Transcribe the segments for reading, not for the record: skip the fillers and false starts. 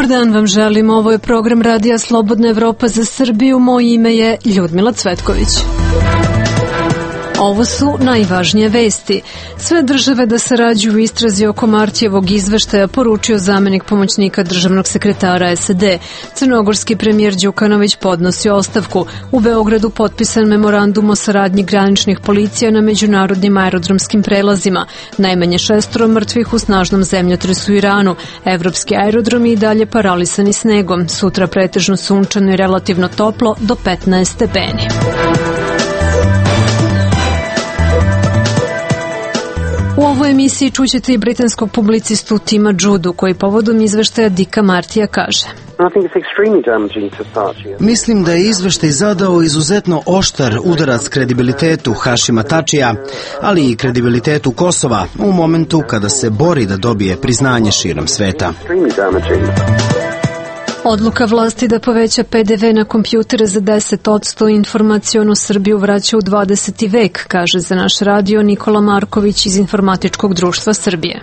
Dobar dan vam želim, ovo je program Radija Slobodna Evropa za Srbiju, moje ime je Ljudmila Cvetković. Ovo su najvažnije vesti. Sve države da sarađuju u istrazi oko Martijevog izveštaja, poručio zamenik pomoćnika državnog sekretara SAD. Crnogorski premijer Đukanović podnosi ostavku. U Beogradu potpisan memorandum o saradnji graničnih policija na međunarodnim aerodromskim prelazima. Najmanje 6 mrtvih u snažnom zemljotresu u Iranu. Evropski aerodromi i dalje paralisani snegom. Sutra pretežno sunčano i relativno toplo do 15 stepeni. U ovoj emisiji čućete i britanskog publicistu Tima Judu, koji povodom izveštaja Dicka Martija kaže: Mislim da je izveštaj zadao izuzetno oštar udarac kredibilitetu Hašima Tačija, ali i kredibilitetu Kosova u momentu kada se bori da dobije priznanje širom sveta. Odluka vlasti da poveća PDV na kompjutere za 10%, informacionu Srbiju vraća u 20. vek, kaže za naš radio Nikola Marković iz Informatičkog društva Srbije.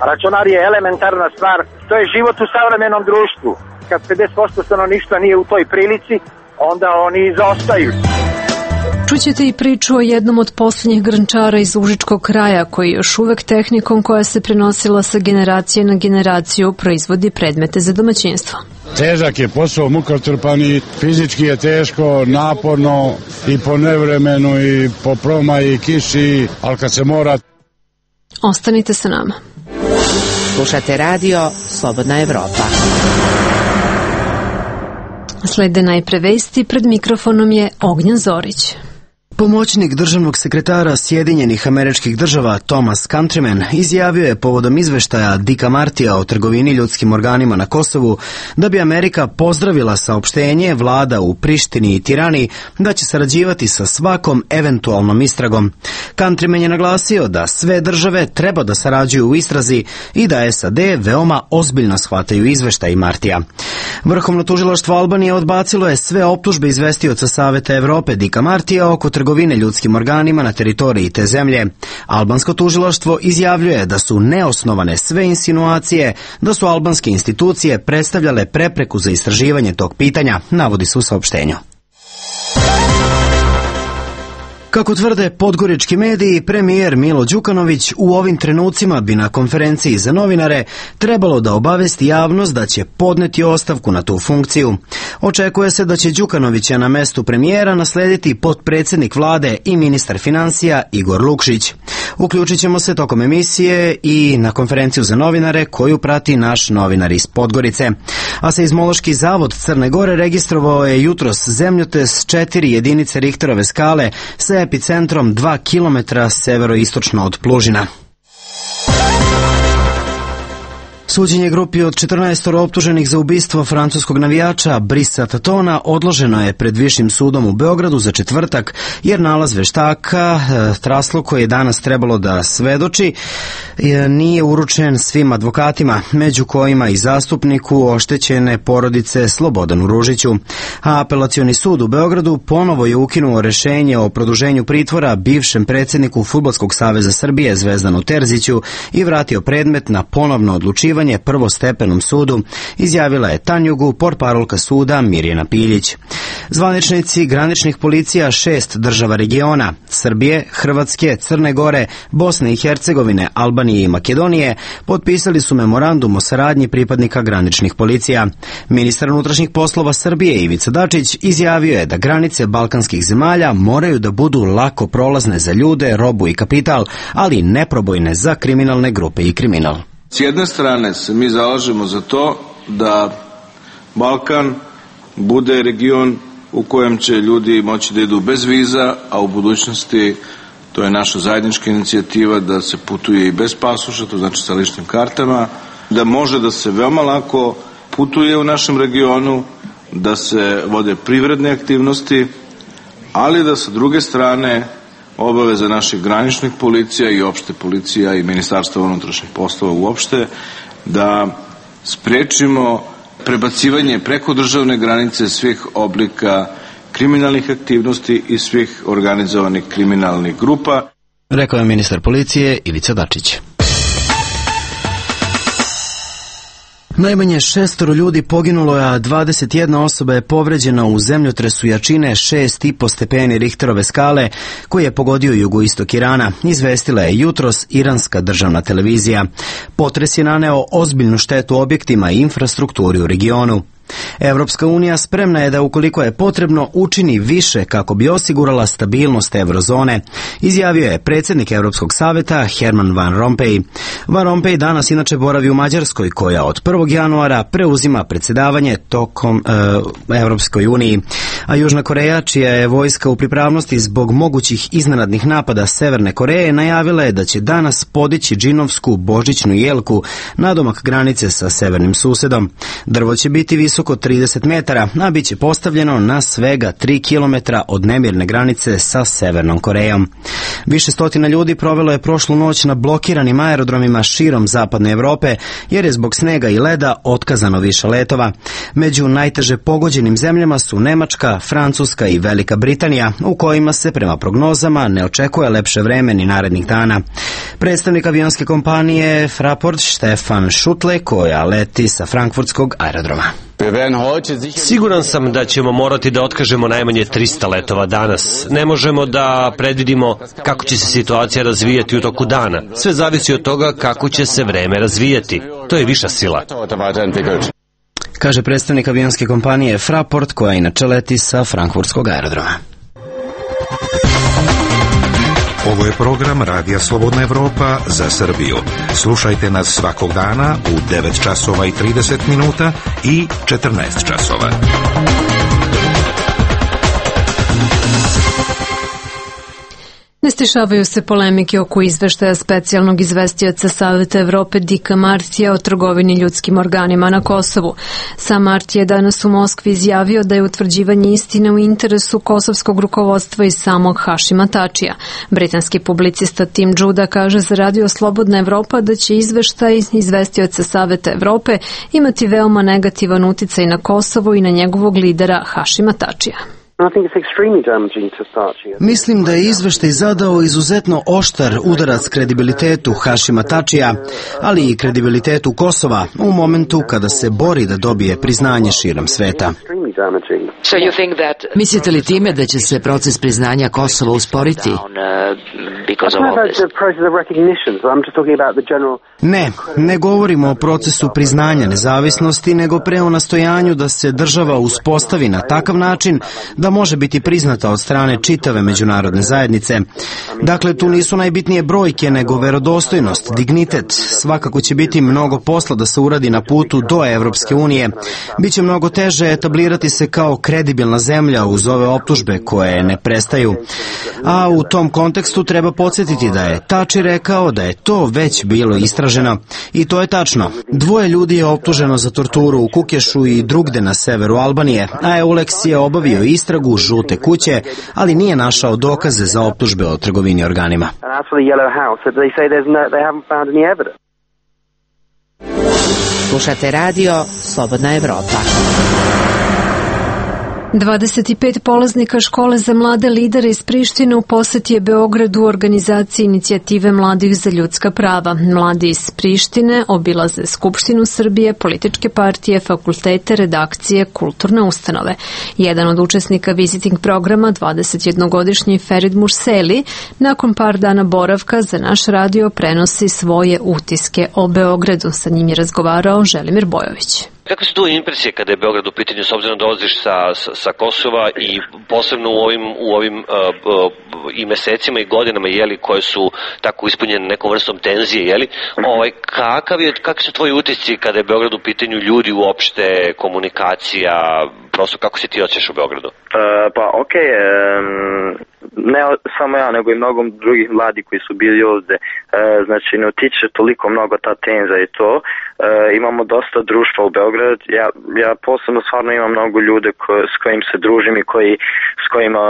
Računar je elementarna stvar, to je život u savremenom društvu. Kad 50% stanovništva nije u toj prilici, onda oni zaostaju. Čućete i priču o jednom od poslednjih grnčara iz Užičkog kraja, koji još uvek tehnikom koja se prenosila sa generacije na generaciju proizvodi predmete za domaćinstvo. Težak je posao, mukotrpan i fizički je teško, naporno i po nevremenu i po promaji i kiši, ali kad se mora... Ostanite sa nama. Slušate radio Slobodna Evropa. Slede najpre vesti, pred mikrofonom je Ognjen Zorić. Pomoćnik državnog sekretara Sjedinjenih Američkih Država Thomas Countryman izjavio je povodom izveštaja Dicka Martija o trgovini ljudskim organima na Kosovu da bi Amerika pozdravila saopštenje vlada u Prištini i Tirani da će sarađivati sa svakom eventualnom istragom. Countryman je naglasio da sve države treba da sarađuju u istrazi i da SAD veoma ozbiljno shvataju izveštaj Martija. Vrhovno tužilaštvo Albanije odbacilo je sve optužbe izvestioca Saveta Evrope Dicka Martija oko trgovine ljudskim organima na teritoriji te zemlje. Albansko tužilaštvo izjavljuje da su neosnovane sve insinuacije da su albanske institucije predstavljale prepreku za istraživanje tog pitanja, navodi se u saopštenju. Kako tvrde podgorički mediji, premijer Milo Đukanović u ovim trenucima bi na konferenciji za novinare trebalo da obavesti javnost da će podneti ostavku na tu funkciju. Očekuje se da će Đukanovića na mestu premijera naslediti potpredsjednik vlade i ministar financija Igor Lukšić. Uključit ćemo se tokom emisije i na konferenciju za novinare koju prati naš novinar iz Podgorice. A Seizmološki zavod Crne Gore registrovao je jutros zemljotres 4 jedinice Richterove skale sa epicentrom 2 kilometra severoistočno od Plužina. Suđenje grupi od 14 optuženih za ubistvo francuskog navijača Brisa Tatona odloženo je pred Višim sudom u Beogradu za četvrtak, jer nalaz veštaka Traslo, koji je danas trebalo da svedoči, nije uručen svim advokatima, među kojima i zastupniku oštećene porodice Slobodanu Ružiću. A apelacioni sud u Beogradu ponovo je ukinuo rešenje o produženju pritvora bivšem predsjedniku Fudbalskog saveza Srbije Zvezdanu Terziću i vratio predmet na ponovno odlučivanje prvostepenom sudu, izjavila je Tanjugu portparolka suda Mirjana Piljić. Zvaničnici graničnih policija 6 država regiona, Srbije, Hrvatske, Crne Gore, Bosne i Hercegovine, Albanije i Makedonije, potpisali su memorandum o saradnji pripadnika graničnih policija. Ministar unutrašnjih poslova Srbije Ivica Dačić izjavio je da granice balkanskih zemalja moraju da budu lako prolazne za ljude, robu i kapital, ali neprobojne za kriminalne grupe i kriminal. S jedne strane se mi zalažemo za to da Balkan bude region u kojem će ljudi moći da idu bez viza, a u budućnosti to je naša zajednička inicijativa da se putuje i bez pasoša, to znači sa ličnim kartama, da može da se veoma lako putuje u našem regionu, da se vode privredne aktivnosti, ali da sa druge strane obaveza naših graničnih policija i opšte policija i Ministarstva unutrašnjih poslova uopšte da sprečimo prebacivanje preko državne granice svih oblika kriminalnih aktivnosti i svih organizovanih kriminalnih grupa. Rekao je ministar policije Ivica Dačić. Najmanje 6 ljudi poginulo, a 21 osoba je povređena u zemljotresu jačine 6,5 stepeni Richterove skale koji je pogodio jugoistok Irana, izvestila je jutros iranska državna televizija. Potres je naneo ozbiljnu štetu objektima i infrastrukturi u regionu. Evropska unija spremna je da ukoliko je potrebno učini više kako bi osigurala stabilnost eurozone, izjavio je predsjednik Europskog saveta Herman Van Rompuy. Van Rompuy danas inače boravi u Mađarskoj koja od 1. januara preuzima predsjedavanje tokom Europskoj uniji. A Južna Koreja, čija je vojska u pripravnosti zbog mogućih iznenadnih napada Severne Koreje, najavila je da će danas podići džinovsku božićnu jelku nadomak granice sa severnim susedom. Drvo će biti visoko 30 metara, a bit će postavljeno na svega 3 kilometra od nemirne granice sa Severnom Korejom. Više stotina ljudi provelo je prošlu noć na blokiranim aerodromima širom zapadne Evrope, jer je zbog snega i leda otkazano više letova. Među najteže pogođenim zemljama su Nemačka, Francuska i Velika Britanija, u kojima se prema prognozama ne očekuje lepše vreme ni narednih dana. Predstavnik avionske kompanije Fraport Stefan Schutle, koja leti sa frankfurtskog aerodroma. Siguran sam da ćemo morati da otkažemo najmanje 300 letova danas. Ne možemo da predvidimo kako će se situacija razvijati u toku dana. Sve zavisi od toga kako će se vreme razvijati. To je viša sila, kaže predstavnik avionske kompanije Fraport, koja inače leti sa frankfurtskog aerodroma. Ovo je program Radija Slobodna Evropa za Srbiju. Slušajte nas svakog dana u 9 časova i 30 minuta i 14 časova. Ne stišavaju se polemike oko izveštaja specijalnog izvestioca Saveta Evrope Dicka Martija o trgovini ljudskim organima na Kosovu. Sam Marti je danas u Moskvi izjavio da je utvrđivanje istine u interesu kosovskog rukovodstva i samog Hašima Tačija. Britanski publicista Tim Juda kaže za Radio Slobodna Evropa da će izveštaj izvestioca Saveta Evrope imati veoma negativan uticaj na Kosovo i na njegovog lidera Hašima Tačija. Mislim da je izveštaj zadao izuzetno oštar udarac kredibilitetu Hašima Tačija, ali i kredibilitetu Kosova u momentu kada se bori da dobije priznanje širom sveta. Mislite li time da će se proces priznanja Kosova usporiti? Ne govorimo o procesu priznanja nezavisnosti, nego pre o nastojanju da se država uspostavi na takav način da može biti priznata od strane čitave međunarodne zajednice. Dakle, tu nisu najbitnije brojke, nego verodostojnost, dignitet. Svakako će biti mnogo posla da se uradi na putu do Evropske unije. Biće mnogo teže etablirati se kao kredibilna zemlja uz ove optužbe koje ne prestaju. A u tom kontekstu treba podsjetiti da je Tači rekao da je to već bilo istraženo. I to je tačno. 2 ljudi je optuženo za torturu u Kukešu i drugde na severu Albanije, a Euleks je obavio istragu Žute kuće, ali nije našao dokaze za optužbe o trgovini organima. Slušate radio Slobodna Evropa. 25 polaznika škole za mlade lidere iz Prištine u poseti je Beogradu u organizaciji inicijative Mladih za ljudska prava. Mladi iz Prištine obilaze Skupštinu Srbije, političke partije, fakultete, redakcije, kulturne ustanove. Jedan od učesnika visiting programa, 21-godišnji Ferid Murseli, nakon par dana boravka za naš radio prenosi svoje utiske o Beogradu. Sa njim je razgovarao Želimir Bojović. Kakve su tu impresije kada je Beograd u pitanju, s obzirom da dolaziš sa Kosova i posebno u ovim i mesecima i godinama, jeli, koje su tako ispunjene nekom vrstom tenzije, jeli? Kakvi su tvoji utisci kada je Beograd u pitanju, ljudi uopšte, komunikacija, prosto kako se ti osjećaš u Beogradu? Ne samo ja, nego i mnogo drugih mladi koji su bili ovde. Znači, ne utiče toliko mnogo ta tenza i to. Imamo dosta društva u Beograd. Ja posebno stvarno imam mnogo ljude s kojim se družim i s kojima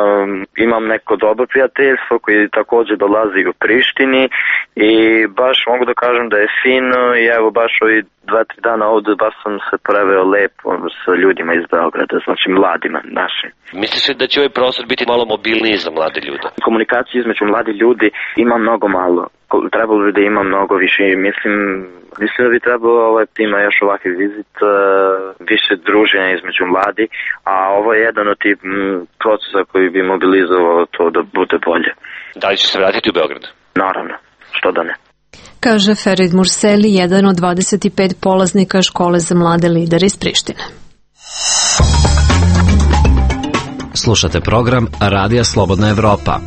imam neko dobro prijateljstvo, koji također dolazi u Prištini i baš mogu da kažem da je fino i evo baš ovi 2-3 dana ovde baš sam se preveo lepo sa ljudima iz Beograda, znači mladima našim. Misliš da će ovaj prostor biti malo mobilniji za mlade ljude? Komunikacije između mladi ljudi ima mnogo malo. trebalo bi da ima mnogo više. Mislim da bi trebalo ima još ovakvi vizit, više druženja između mladi, a ovo je jedan od tih procesa koji bi mobilizovao to da bude bolje. Da li će se vratiti u Beograd? Naravno, što da ne. Kaže Ferid Murseli, jedan od 25 polaznika škole za mlade lidere iz Prištine. Slušate program Radija Slobodna Evropa.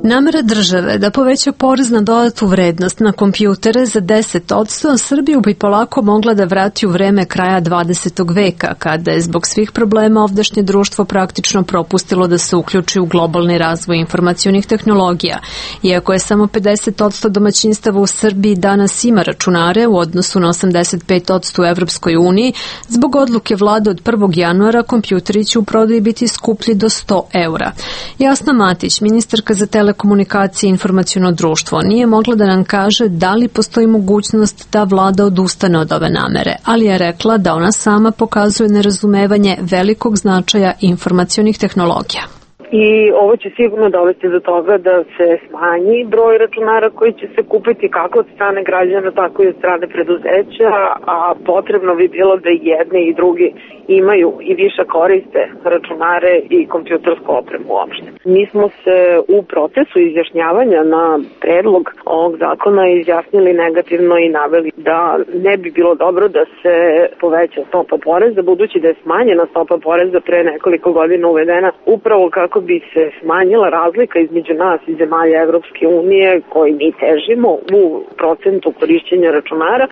Namera države da poveća porez na dodatu vrednost na kompjutere za 10%, Srbiju bi polako mogla da vrati u vreme kraja 20. veka, kada je zbog svih problema ovdašnje društvo praktično propustilo da se uključi u globalni razvoj informacionih tehnologija. Iako je samo 50% domaćinstava u Srbiji danas ima računare u odnosu na 85% u Evropskoj uniji, zbog odluke vlade od 1. januara kompjuteri će u prodaji biti skuplji do 100 eura. Jasna Matić, ministarka za telekomunikacije i informaciono društvo, nije mogla da nam kaže da li postoji mogućnost da vlada odustane od ove namere, ali je rekla da ona sama pokazuje nerazumevanje velikog značaja informacionih tehnologija. I ovo će sigurno dovesti do toga da se smanji broj računara koji će se kupiti kako od strane građana, tako i od strane preduzeća, a potrebno bi bilo da jedni i drugi imaju i više koriste računare i kompjutersku opremu uopšte. Mi smo se u procesu izjašnjavanja na predlog ovog zakona izjasnili negativno i naveli da ne bi bilo dobro da se poveća stopa poreza, budući da je smanjena stopa poreza pre nekoliko godina uvedena upravo kako bi se smanjila razlika između nas i zemalja Evropske unije koji mi težimo u procentu korišćenja računara.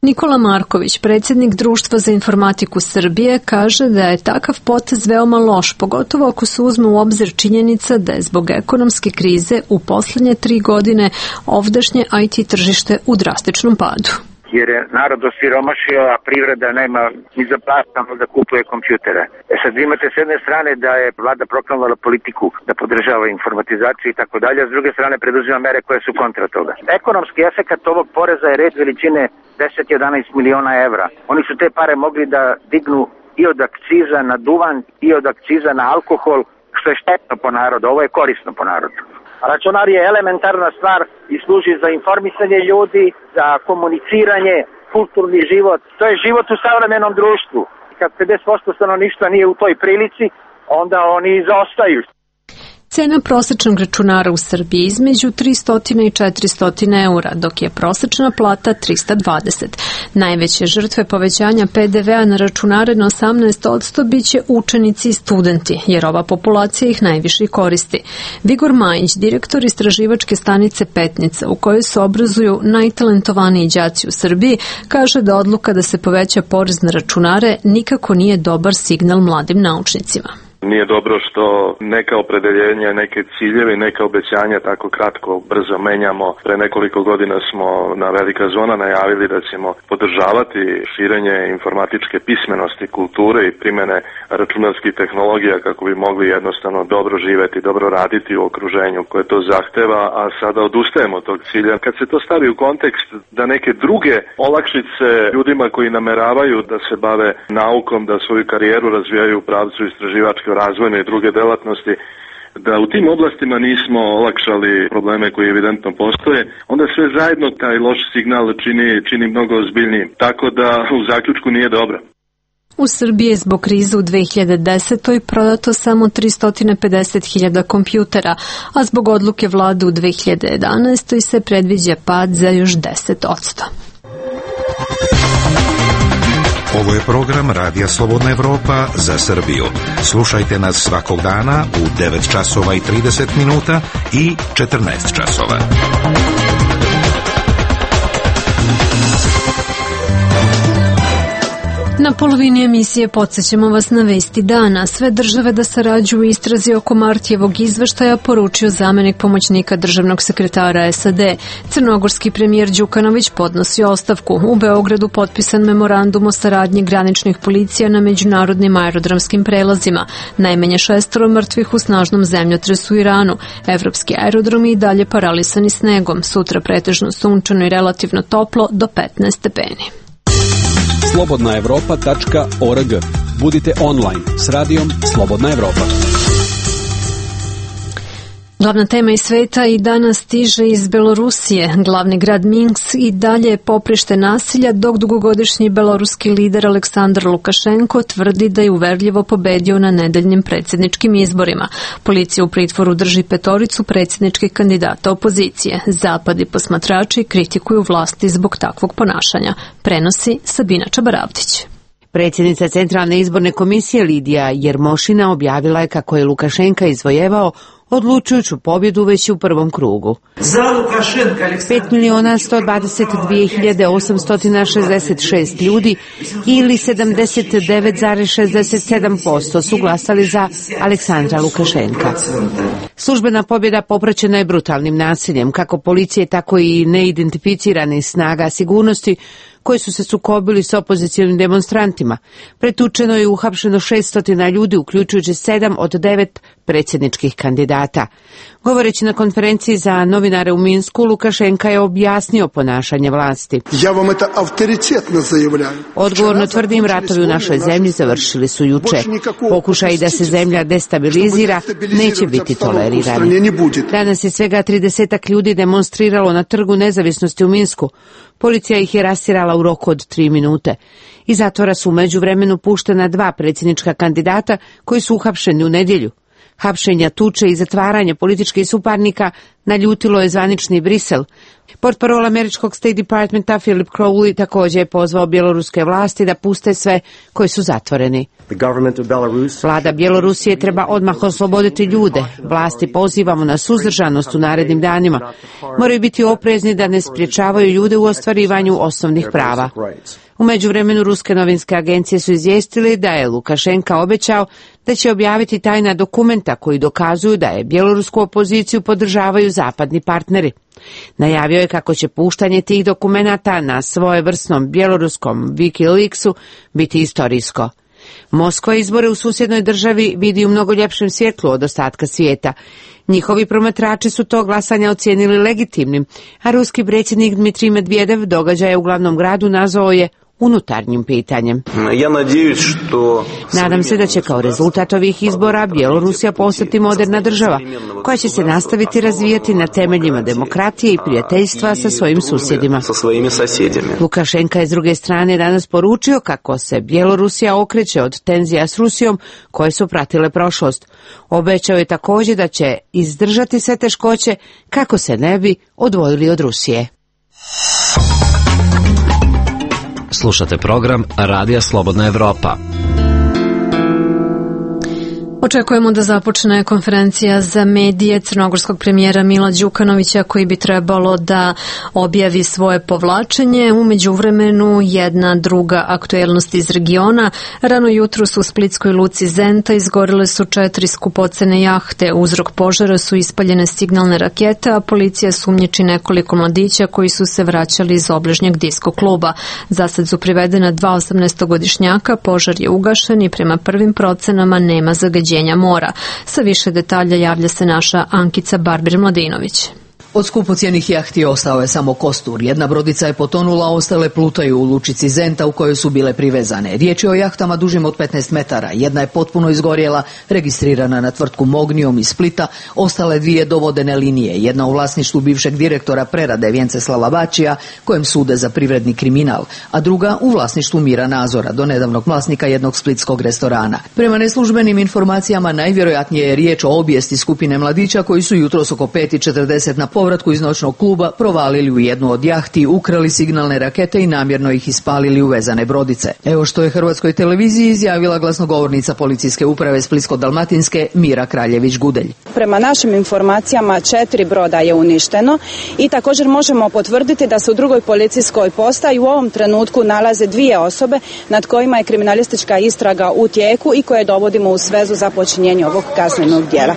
Nikola Marković, predsjednik Društva za informatiku Srbije, kaže da je takav potez veoma loš, pogotovo ako se uzme u obzir činjenica da je zbog ekonomske krize u poslednje 3 godine ovdašnje IT tržište u drastičnom padu. Jer je narod osiromašio, a privreda nema ni za platano da kupuje kompjutere. Sad vi imate s jedne strane da je vlada proklamovala politiku da podržava informatizaciju i tako dalje, a s druge strane preduzima mere koje su kontra toga. Ekonomski efekat ovog poreza je red veličine 10-11 miliona evra. Oni su te pare mogli da dignu i od akciza na duvan i od akciza na alkohol, što je štetno po narodu, ovo je korisno po narodu. Računar je elementarna stvar i služi za informisanje ljudi, za komuniciranje, kulturni život. To je život u savremenom društvu. Kad 50% stanovništva nije u toj prilici, onda oni zaostaju. Cena prosečnog računara u Srbiji između 300 i 400 eura, dok je prosečna plata 320. Najveće žrtve povećanja PDV-a na računare na 18% biće učenici i studenti, jer ova populacija ih najviše koristi. Vigor Majić, direktor istraživačke stanice Petnica, u kojoj se obrazuju najtalentovaniji đaci u Srbiji, kaže da odluka da se poveća porez na računare nikako nije dobar signal mladim naučnicima. Nije dobro što neka opredeljenja, neke ciljeve, neka obećanja tako kratko, brzo menjamo. Pre nekoliko godina smo na Velika zona najavili da ćemo podržavati širenje informatičke pismenosti, kulture i primene računarskih tehnologija kako bi mogli jednostavno dobro živeti, dobro raditi u okruženju koje to zahteva, a sada odustajemo od tog cilja. Kad se to stavi u kontekst da neke druge olakšice ljudima koji nameravaju da se bave naukom, da svoju karijeru razvijaju u pravcu istraživačke razvojne i druge delatnosti, da u tim oblastima nismo olakšali probleme koji evidentno postoje, onda sve zajedno taj loš signal čini mnogo ozbiljnijim. Tako da u zaključku nije dobro. U Srbiji je zbog krize u 2010. prodato samo 350.000 kompjutera, a zbog odluke vlade u 2011. se predviđa pad za još 10%. Ovo je program Radija Slobodna Evropa za Srbiju. Slušajte nas svakog dana u 9 časova i 30 minuta i 14 časova. Na polovini emisije podsjećamo vas na vesti dana. Sve države da sarađuju u istrazi oko Martijevog izveštaja, poručio zamenik pomoćnika državnog sekretara SAD. Crnogorski premijer Đukanović podnosi ostavku. U Beogradu potpisan memorandum o saradnji graničnih policija na međunarodnim aerodromskim prelazima. Najmanje 6 mrtvih u snažnom zemljotresu u Iranu. Evropski aerodromi i dalje paralisani snegom. Sutra pretežno sunčano i relativno toplo do 15 stepeni. slobodnaevropa.org. Budite online s radijom Slobodna Evropa. Glavna tema iz sveta i danas stiže iz Belorusije. Glavni grad Minsk i dalje je poprište nasilja, dok dugogodišnji beloruski lider Aleksandar Lukašenko tvrdi da je uverljivo pobedio na nedeljnim predsjedničkim izborima. Policija u pritvoru drži 5 predsjedničkih kandidata opozicije. Zapad i posmatrači kritikuju vlasti zbog takvog ponašanja. Prenosi Sabina Čabaravdić. Predsjednica Centralne izborne komisije Lidija Jermošina objavila je kako je Lukašenka izvojevao odlučujuću pobjedu već u prvom krugu. 5.122.866 ljudi ili 79,67% su glasali za Aleksandra Lukašenka. Službena pobjeda popraćena je brutalnim nasiljem, kako policije, tako i neidentificiranih snaga sigurnosti koji su se sukobili s opozicijalnim demonstrantima. Pretučeno je i uhapšeno 600 ljudi, uključujući 7 od 9 predsjedničkih kandidata. Govoreći na konferenciji za novinare u Minsku, Lukašenka je objasnio ponašanje vlasti. Ja vam to autoritetno zajavljam. Odgovorno tvrdim, ratovi u našoj zemlji završili su juče. Pokušaj da se zemlja destabilizira neće biti tolerirani. Danas je svega 30 ljudi demonstriralo na Trgu nezavisnosti u Minsku. Policija ih je rastirala u roku od 3 minute. Iz zatvora su u međuvremenu puštena 2 predsjednička kandidata koji su uhapšeni u nedjelju. Hapšenja, tuče i zatvaranje političkih suparnika naljutilo je zvanični Brisel. Portparol američkog State Departmenta Philip Crowley također je pozvao bjeloruske vlasti da puste sve koji su zatvoreni. Vlada Bjelorusije treba odmah osloboditi ljude. Vlasti pozivamo na suzdržanost u narednim danima. Moraju biti oprezni da ne spriječavaju ljude u ostvarivanju osnovnih prava. U međuvremenu ruske novinske agencije su izvijestili da je Lukašenka obećao da će objaviti tajna dokumenta koji dokazuju da je bjelorusku opoziciju podržavaju zapadni partneri. Najavio je kako će puštanje tih dokumenata na svojevrsnom bjeloruskom Wikileaksu biti istorijsko. Moskva izbore u susjednoj državi vidi u mnogo ljepšem svjetlu od ostatka svijeta. Njihovi promatrači su to glasanje ocijenili legitimnim, a ruski predsjednik Dmitrij Medvedev događaje u glavnom gradu nazvao je unutarnjim pitanjem. Nadam se da će kao rezultat ovih izbora Bjelorusija postati moderna država, koja će se nastaviti razvijati na temeljima demokratije i prijateljstva sa svojim susjedima. Lukašenka je s druge strane danas poručio kako se Bjelorusija okreće od tenzija s Rusijom koje su pratile prošlost. Obećao je također da će izdržati sve teškoće kako se ne bi odvojili od Rusije. Slušate program Radija Slobodna Evropa. Očekujemo da započne konferencija za medije crnogorskog premijera Mila Đukanovića koji bi trebalo da objavi svoje povlačenje. U međuvremenu jedna druga aktuelnost iz regiona. Rano jutros u splitskoj luci Zenta izgorele su 4 skupocene jahte. Uzrok požara su ispaljene signalne rakete, a policija sumnjiči nekoliko mladića koji su se vraćali iz obližnjeg disko kluba. Zasad su privedena 2 18-godišnjaka, požar je ugašen i prema prvim procenama nema zagađenja mora. Sa više detalja javlja se naša Ankica Barbir-Mladinović. Od skupocjenih jahti ostao je samo kostur. Jedna brodica je potonula, ostale plutaju u lučici Zenta u kojoj su bile privezane. Riječ je o jahtama dužim od 15 metara. Jedna je potpuno izgorjela, registrirana na tvrtku Mognium iz Splita, ostale 2 dovodene linije. Jedna u vlasništvu bivšeg direktora prerade Vjenceslava Bačija, kojem sude za privredni kriminal, a druga u vlasništvu Mira Nazora, do nedavnog vlasnika jednog splitskog restorana. Prema neslužbenim informacijama najvjerojatnije je riječ o obijesti skupine mladića koji su jutros oko 5:40 na povratku iz noćnog kluba provalili u jednu od jahti, ukrali signalne rakete i namjerno ih ispalili u vezane brodice. Evo što je Hrvatskoj televiziji izjavila glasnogovornica policijske uprave Splitsko-dalmatinske Mira Kraljević-Gudelj. Prema našim informacijama 4 broda je uništeno i također možemo potvrditi da se u drugoj policijskoj postaji u ovom trenutku nalaze 2 osobe nad kojima je kriminalistička istraga u tijeku i koje dovodimo u svezu za počinjenje ovog kaznenog djela.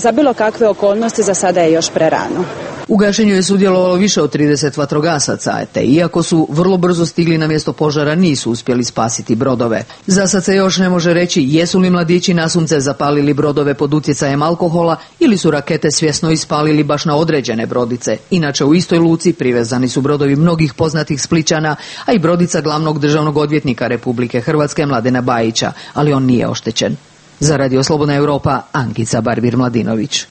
Za bilo kakve okolnosti za sada je još prerano. U gašenju je sudjelovalo više od 30 vatrogasaca, te iako su vrlo brzo stigli na mjesto požara, nisu uspjeli spasiti brodove. Za sad se još ne može reći jesu li mladići nasumce zapalili brodove pod utjecajem alkohola ili su rakete svjesno ispalili baš na određene brodice. Inače u istoj luci privezani su brodovi mnogih poznatih Splićana, a i brodica glavnog državnog odvjetnika Republike Hrvatske Mladena Bajića, ali on nije oštećen. Za Radio Slobodna Europa, Ankica Barbir-Mladinović.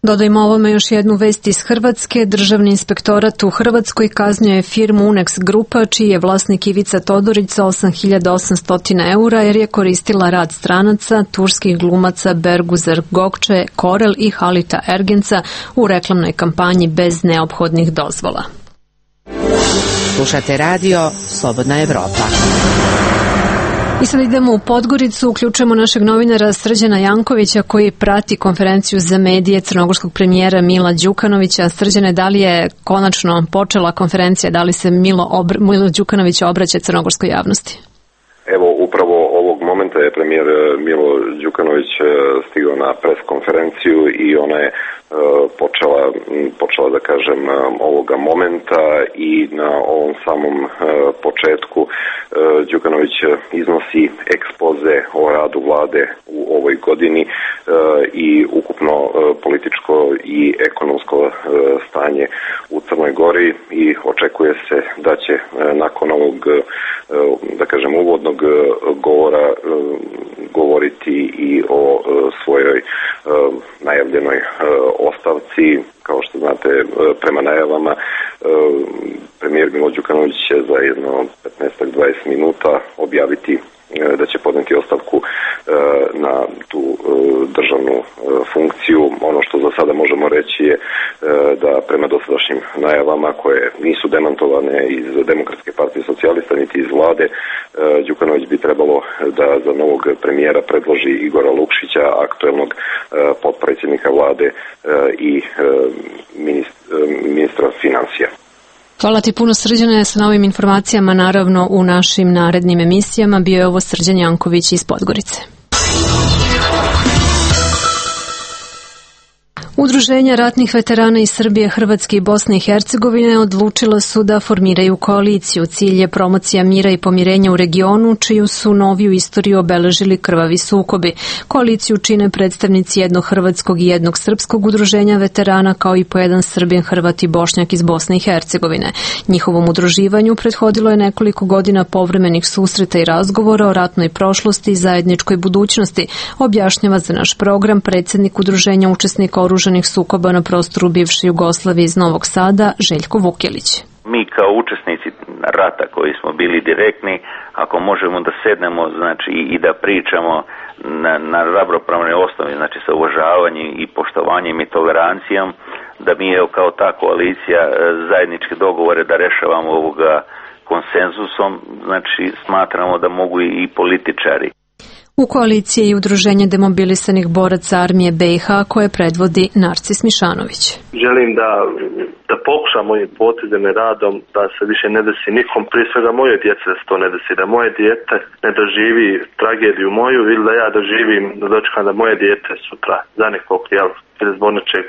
Dodajmo ovome još jednu vest iz Hrvatske. Državni inspektorat u Hrvatskoj kaznio je firmu Unex Grupa, čiji je vlasnik Ivica Todorić sa 8.800 eura jer je koristila rad stranaca, turskih glumaca Berguzer Gokče, Korel i Halita Ergenca u reklamnoj kampanji bez neophodnih dozvola. Slušate radio Slobodna Evropa. I sad idemo u Podgoricu, uključujemo našeg novinara Srđana Jankovića koji prati konferenciju za medije crnogorskog premijera Mila Đukanovića. Srđane, da li je konačno počela konferencija, da li se Milo Đukanović obraća crnogorskoj javnosti? Evo, upravo ovog momenta je premijer Milo Đukanović stigao na pres konferenciju i ona je počela da kažem ovoga momenta i na ovom samom početku Đukanović iznosi ekspoze o radu vlade u ovoj godini i ukupno političko i ekonomsko stanje u Crnoj Gori i očekuje se da će nakon ovog da kažem uvodnog govora govoriti i o svojoj najavljenoj ostavci. Kao što znate, prema najavama premijer Milo Đukanović će za jedno 15-20 minuta objaviti da će podneti ostavku na tu državnu funkciju. Ono što za sada možemo reći je da prema dosadašnjim najavama koje nisu demantovane iz Demokratske partije socijalista niti iz vlade, Đukanović bi trebalo da za novog premijera predloži Igora Lukšića, aktuelnog potpredsjednika vlade i ministra financija. Hvala ti puno, Srđane, sa novim informacijama naravno u našim narednim emisijama. Bio je ovo Srđan Janković iz Podgorice. Udruženja ratnih veterana iz Srbije, Hrvatske i Bosne i Hercegovine odlučila su da formiraju koaliciju. Cilj je promocija mira i pomirenja u regionu, čiju su noviju istoriju obeležili krvavi sukobi. Koaliciju čine predstavnici jednog hrvatskog i jednog srpskog udruženja veterana, kao i po jedan Srbin, Hrvat i Bošnjak iz Bosne i Hercegovine. Njihovom udruživanju prethodilo je nekoliko godina povremenih susreta i razgovora o ratnoj prošlosti i zajedničkoj budućnosti, objašnjava za naš program predsjednik udruženja učesnika oružanih sukoba na prostoru bivše Jugoslavije iz Novog Sada, Željko Vukelić. Mi kao učesnici rata koji smo bili direktni, ako možemo da sednemo, znači i da pričamo na ravnopravnoj osnovi, znači sa uvažavanjem i poštovanjem i tolerancijom, da mi je kao ta koalicija zajedničke dogovore da rešavamo ovoga konsenzusom, znači smatramo da mogu i političari. U koaliciji je udruženje demobilisanih boraca armije BiH koje predvodi Narcis Mišanović. Želim da pokušam mojim potezima i radom da se više ne desi nikom, prije svega moje djece da se to ne desi, da moje dijete ne doživi tragediju moju ili da ja doživim, da dočekam da moje dijete sutra za nekog zbog nečeg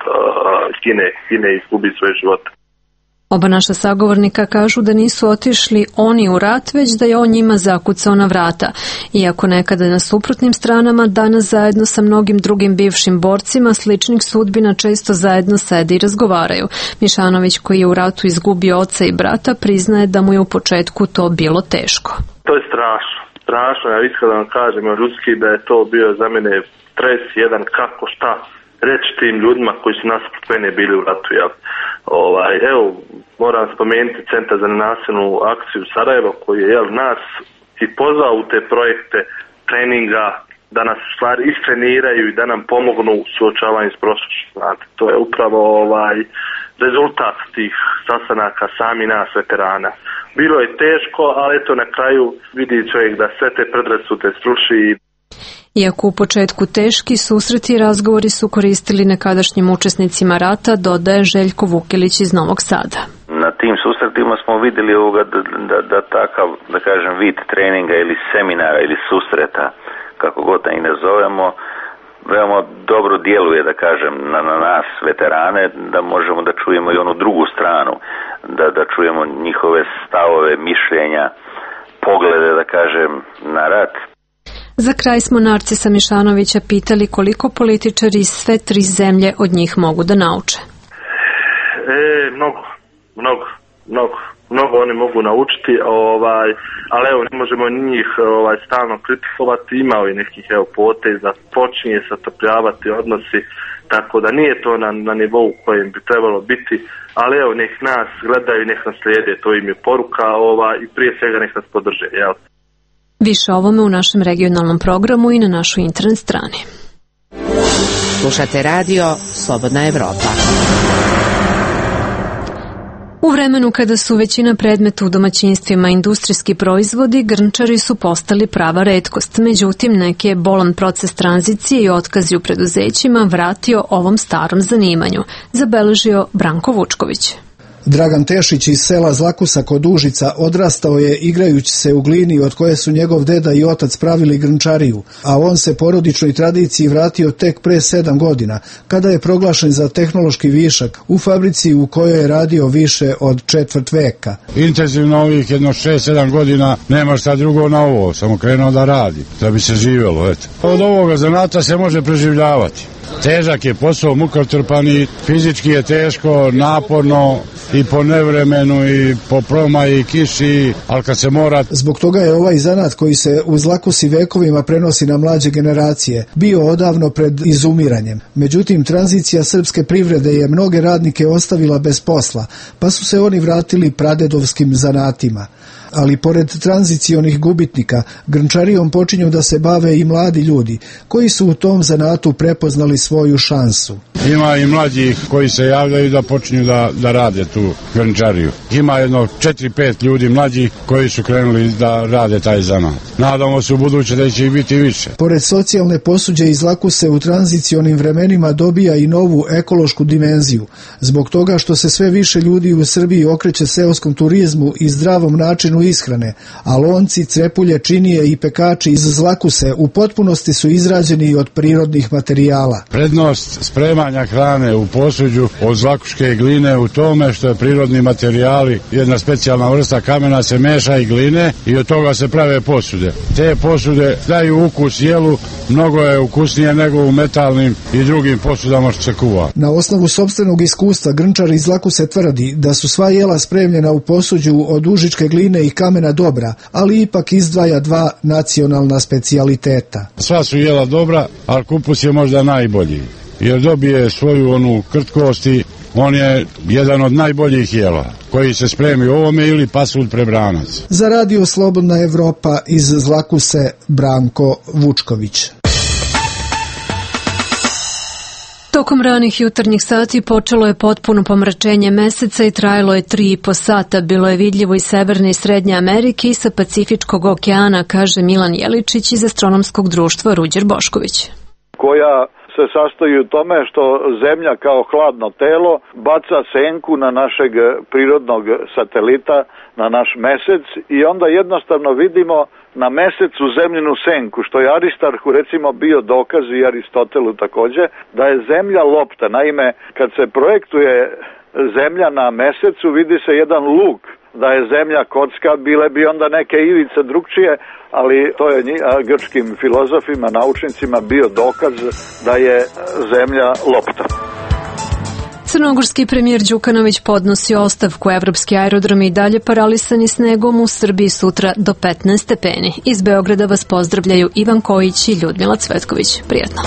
gine i izgubi svoj život. Oba naša sagovornika kažu da nisu otišli oni u rat, već da je on njima zakucao na vrata. Iako nekada na suprotnim stranama, danas zajedno sa mnogim drugim bivšim borcima sličnih sudbina često zajedno sede i razgovaraju. Mišanović, koji je u ratu izgubio oca i brata, priznaje da mu je u početku to bilo teško. To je strašno, ja iskreno vam kažem, ljudski da je to bio za mene stres jedan kako šta reći tim ljudima koji su nasuprot mene bili u ratu. Evo, moram spomenuti Centar za nenasilnu akciju Sarajevo koji je nas i pozvao u te projekte treninga da nas stvari istreniraju i da nam pomognu u suočavanju s prošlošću. To je upravo rezultat tih sastanaka sami nas veterana. Bilo je teško, ali eto na kraju vidi čovjek da sve te predrasude sruši. Iako u početku teški, susreti i razgovori su koristili nekadašnjim učesnicima rata, dodaje Željko Vukelić iz Novog Sada. Na tim susretima smo vidjeli da takav, da kažem, vid treninga ili seminara ili susreta, kako god da i ne zovemo, veoma dobro djeluje, da kažem, na nas, veterane, da možemo da čujemo i onu drugu stranu, da čujemo njihove stavove, mišljenja, poglede, da kažem, na rat. Za kraj smo Narcisa Mišanovića pitali koliko političari iz sve tri zemlje od njih mogu da nauče. mnogo oni mogu naučiti, ali evo ne možemo njih stalno kritikovati, imao i nekih poteza, počinje se otopljavati odnosi, tako da nije to na nivou kojem bi trebalo biti, ali evo nek nas gledaju, nek nas slijede, to im je poruka i prije svega nek nas podrže, jel? Više o ovome u našem regionalnom programu i na našoj internet strani. Slušate radio Slobodna Evropa. U vremenu kada su većina predmeta u domaćinstvima industrijski proizvodi, grnčari su postali prava retkost. Međutim, neki je bolan proces tranzicije i otkazi u preduzećima vratio ovom starom zanimanju, zabeležio Branko Vučković. Dragan Tešić iz sela Zlakusa kod Užica odrastao je igrajući se u glini od koje su njegov deda i otac pravili grnčariju, a on se porodičnoj tradiciji vratio tek pre 7 godina, kada je proglašen za tehnološki višak u fabrici u kojoj je radio više od četvrt veka. Intenzivno ovih jedno 6-7 godina nema šta drugo na ovo, samo krenuo da radi, da bi se živjelo. Eto. Od ovoga zanata se može preživljavati. Težak je posao, mukotrpan i fizički je teško, naporno i po nevremenu i po promaji i kiši, ali kad se mora... Zbog toga je ovaj zanat koji se u Zlakusi vekovima prenosi na mlađe generacije bio odavno pred izumiranjem. Međutim, tranzicija srpske privrede je mnoge radnike ostavila bez posla, pa su se oni vratili pradedovskim zanatima. Ali pored tranzicionih gubitnika, grnčarijom počinju da se bave i mladi ljudi, koji su u tom zanatu prepoznali svoju šansu. Ima i mlađih koji se javljaju da počinju da rade tu grnčariju. Ima jedno 4-5 ljudi mlađih koji su krenuli da rade taj zanat. Nadamo se u buduće da će ih biti više. Pored socijalne posuđe iz Zlakuse u tranzicionim vremenima dobija i novu ekološku dimenziju, zbog toga što se sve više ljudi u Srbiji okreće seoskom turizmu i zdravom načinu ishrane, a lonci, crepulje, činije i pekači iz Zlakuse u potpunosti su izrađeni od prirodnih materijala. Prednost spremanja hrane u posuđu od zlakuške gline u tome što je prirodni materijali, jedna specijalna vrsta kamena se meša i gline i od toga se prave posude. Te posude daju ukus jelu, mnogo je ukusnije nego u metalnim i drugim posudama što se kuva. Na osnovu sopstvenog iskustva grnčar iz Zlakuse tvrdi da su sva jela spremljena u posuđu od užičke gline i kamena dobra, ali ipak izdvaja 2 nacionalna specijaliteta. Sva su jela dobra, ali kupus je možda najbolji, jer dobije svoju onu krtkost i on je jedan od najboljih jela koji se spremi u ovome ili pasulj prebranac. Za radio Slobodna Evropa iz Zlakuse, Branko Vučković. Tokom ranih jutarnjih sati počelo je potpuno pomračenje meseca i trajalo je 3,5 sata. Bilo je vidljivo iz Severne i Srednje Amerike i sa Pacifičkog okeana, kaže Milan Jeličić iz Astronomskog društva Ruđer Bošković. Koja se sastoji u tome što Zemlja kao hladno telo baca senku na našeg prirodnog satelita, na naš mesec i onda jednostavno vidimo na mesecu zemljinu senku, što je Aristarhu recimo bio dokaz i Aristotelu takođe, da je Zemlja lopta. Naime, kad se projektuje Zemlja na mesecu, vidi se jedan luk, da je Zemlja kocka, bile bi onda neke ivice drugčije, ali to je grčkim filozofima, naučnicima bio dokaz da je Zemlja lopta. Crnogorski premijer Đukanović podnosi ostavku. Evropski aerodromi i dalje paralisani snegom, u Srbiji sutra do 15 stepeni. Iz Beograda vas pozdravljaju Ivan Kojić i Ljudmila Cvetković. Prijetno.